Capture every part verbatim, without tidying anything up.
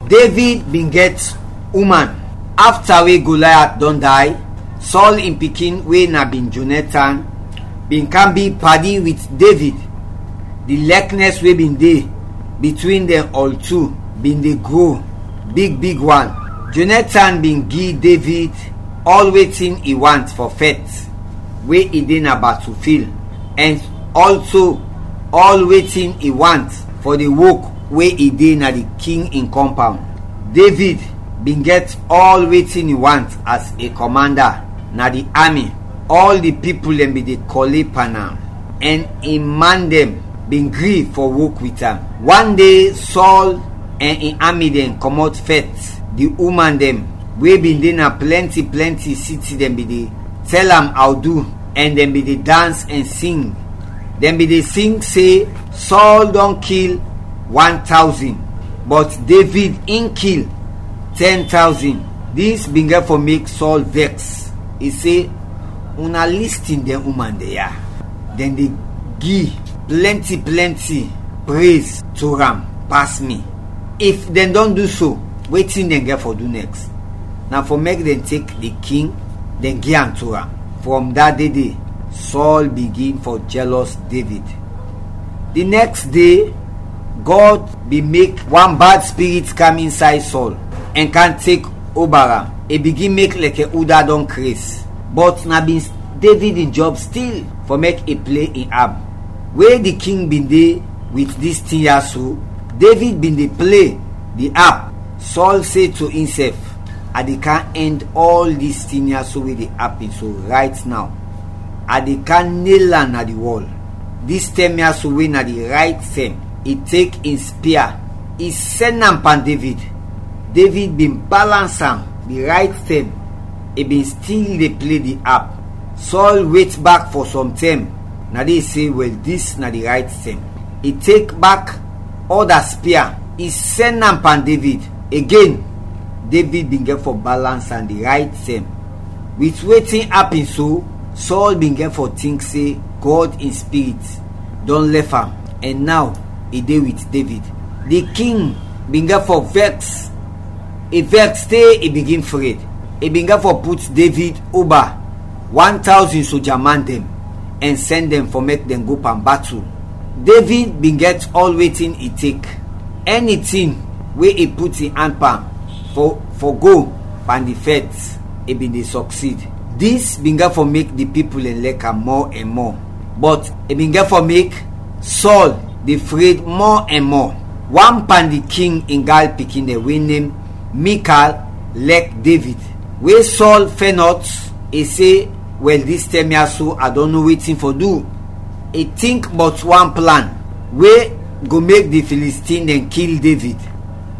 David bin gɛt uman. Afta we Goliath dɔn day, Saul in pikin we na bin Jonathan bin kam bi padi wit David. Di lɛknɛs we bin de bitwin dɛn ɔl tu bin de gro big big wan. Jonathan bin gi David ɔl wetin i want fɔ fɛt we i de na batufil, ɛn ɔlso ɔl wetin i want fɔ di wok we i de na di king in kɔmpawn. David bin gɛt ɔl wetin i want as a kɔmanda na di ami. Ɔl di pipul dɛn bin de kɔle pan am, ɛn in man dɛn bin gri fɔ wok wit am. Wan de, Sɔl ɛn in ami dɛn kɔmɔt fɛt. Di uman dɛn we bin de na plɛnti plɛnti siti dɛn bin de tɛl am awdu, ɛn dɛn bin de dans ɛn sing. Dɛn bin de sing se, Sɔl dɔn kil wan tawzin, bɔt Devid in kil tɛn tawzin. Dis bin gɛt fɔ mek Sɔl vɛks. I se, una listin dɛn uman dɛn ya. Dɛn de gi plɛnti plɛnti prez to am pas mi. If dɛn dɔn du so, wetin dɛn gɛt fɔ du nɛks? Na fɔ mek dɛn tek di king, dɛn gi am to am. Frɔm da de de, Sɔl bigin fɔ jɛlɔs Devid. Di nɛks de, Gɔd bin mek wan bad spirit kam insay Sɔl ɛn kam tek oba am. I bigin mek lɛkɛ uda dɔn kres. Bɔt na bin Devid in jɔb stil fɔ mek i ple in ap. We di king bin de wit dis tin ya so, Devid bin de ple di ap. Sɔl se to insɛf, "A de kam ɛnd ɔl dis tin ya so we de apin so rayt naw. A de kam nel am na di wɔl." Dis tɛm ya so we na di rayt tɛm, i tek in spia, i sɛn am pan Devid. Devid bin balans am di rayt tɛm, i bin stil de ple di ap. Sɔl wet bak fɔ sɔm tɛm, na de i se, "Wɛl, dis na di rayt tɛm." I tek bak ɔda spia, i sɛn am pan Devid. Agen, Devid bin gɛt fɔ balans am di rayt tɛm. Wit wetin apin so, Sɔl bin gɛt fɔ tink se Gɔd in Spirit dɔn lɛf am, ɛn naw i de wit Devid. Di king bin gɛt fɔ vɛks. I vɛks te i bigin fred. I bin gɛt fɔ put Devid oba wan tawzin soja man dɛn ɛn sɛn dɛn fɔ mek dɛn go pan batul. Devid bin gɛt ɔl wetin i tek. Ɛni tin we i put in an pan fɔ fɔ go pan di fɛt, i bin de sɔksid. Dis bin gɛt fɔ mek di pipul dɛn lɛk am mɔ ɛn mɔ, bɔt i bin gɛt fɔ mek Sɔl de fred mɔ ɛn mɔ. Wan pan di king in gal pikin dɛn we nem Mikal lɛk Devid. We Sɔl fɛnɔt, i se, "Wɛl, dis tɛm ya so a dɔn no wetin fɔ du." I tink bɔt wan plan we go mek di Filistin dɛn kil Devid.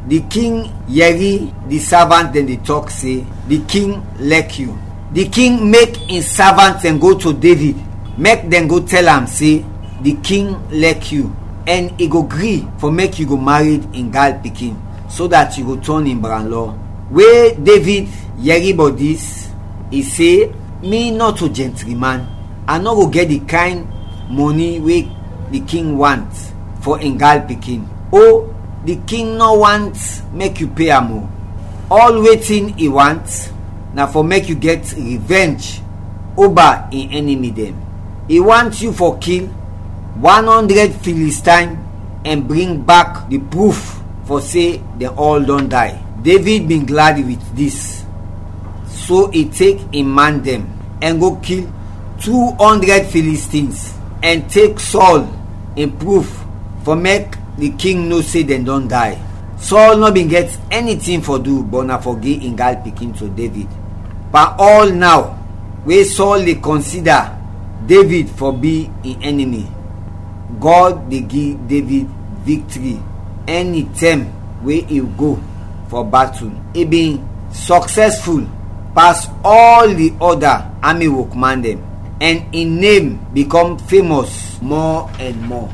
Di king yɛri di savant dɛn de tɔk se, "Di king lɛk yu." Di king mek in savant dɛn go to Devid, mek dɛn go tɛl am se, "Di king lɛk yu, ɛn i go gri fɔ mek yu go mared in gal pikin, so dat yu go tɔn in branlɔ." We Devid yɛri bɔt dis, i se, "Mi nɔto jɛntri man, a nɔ go gɛt di kayn mɔni we di king want fɔ in gal pikin. O, di king nɔ want mek yu pe am o. Ɔl wetin i want na fɔ mek yu gɛt revenge oba in ɛnimi dɛn. I want yu fɔ kil wan ɔndrɛd Filistine ɛn bring bak di pruf fɔ se dɛn ɔl dɔn day." Devid bin gladi wit dis, so i tek in man dɛn ɛn go kil tu ɔndrɛd Filistins ɛn tek Sɔl in pruf fɔ mek di king no se dɛn dɔn day. Sɔl nɔ bin gɛt ɛni tin fɔ du bɔt na fɔ gi in gal pikin to Devid. Pan ɔl naw we Sɔl de kɔnsida Devid fɔ bi in ɛnimi, Gɔd de gi Devid viktri ɛni tɛm we i go fɔ batul. I bin sɔksɛsful pas ɔl di ɔda ami wokman dɛn, ɛn in nem bikɔm femɔs mɔ ɛn mɔ.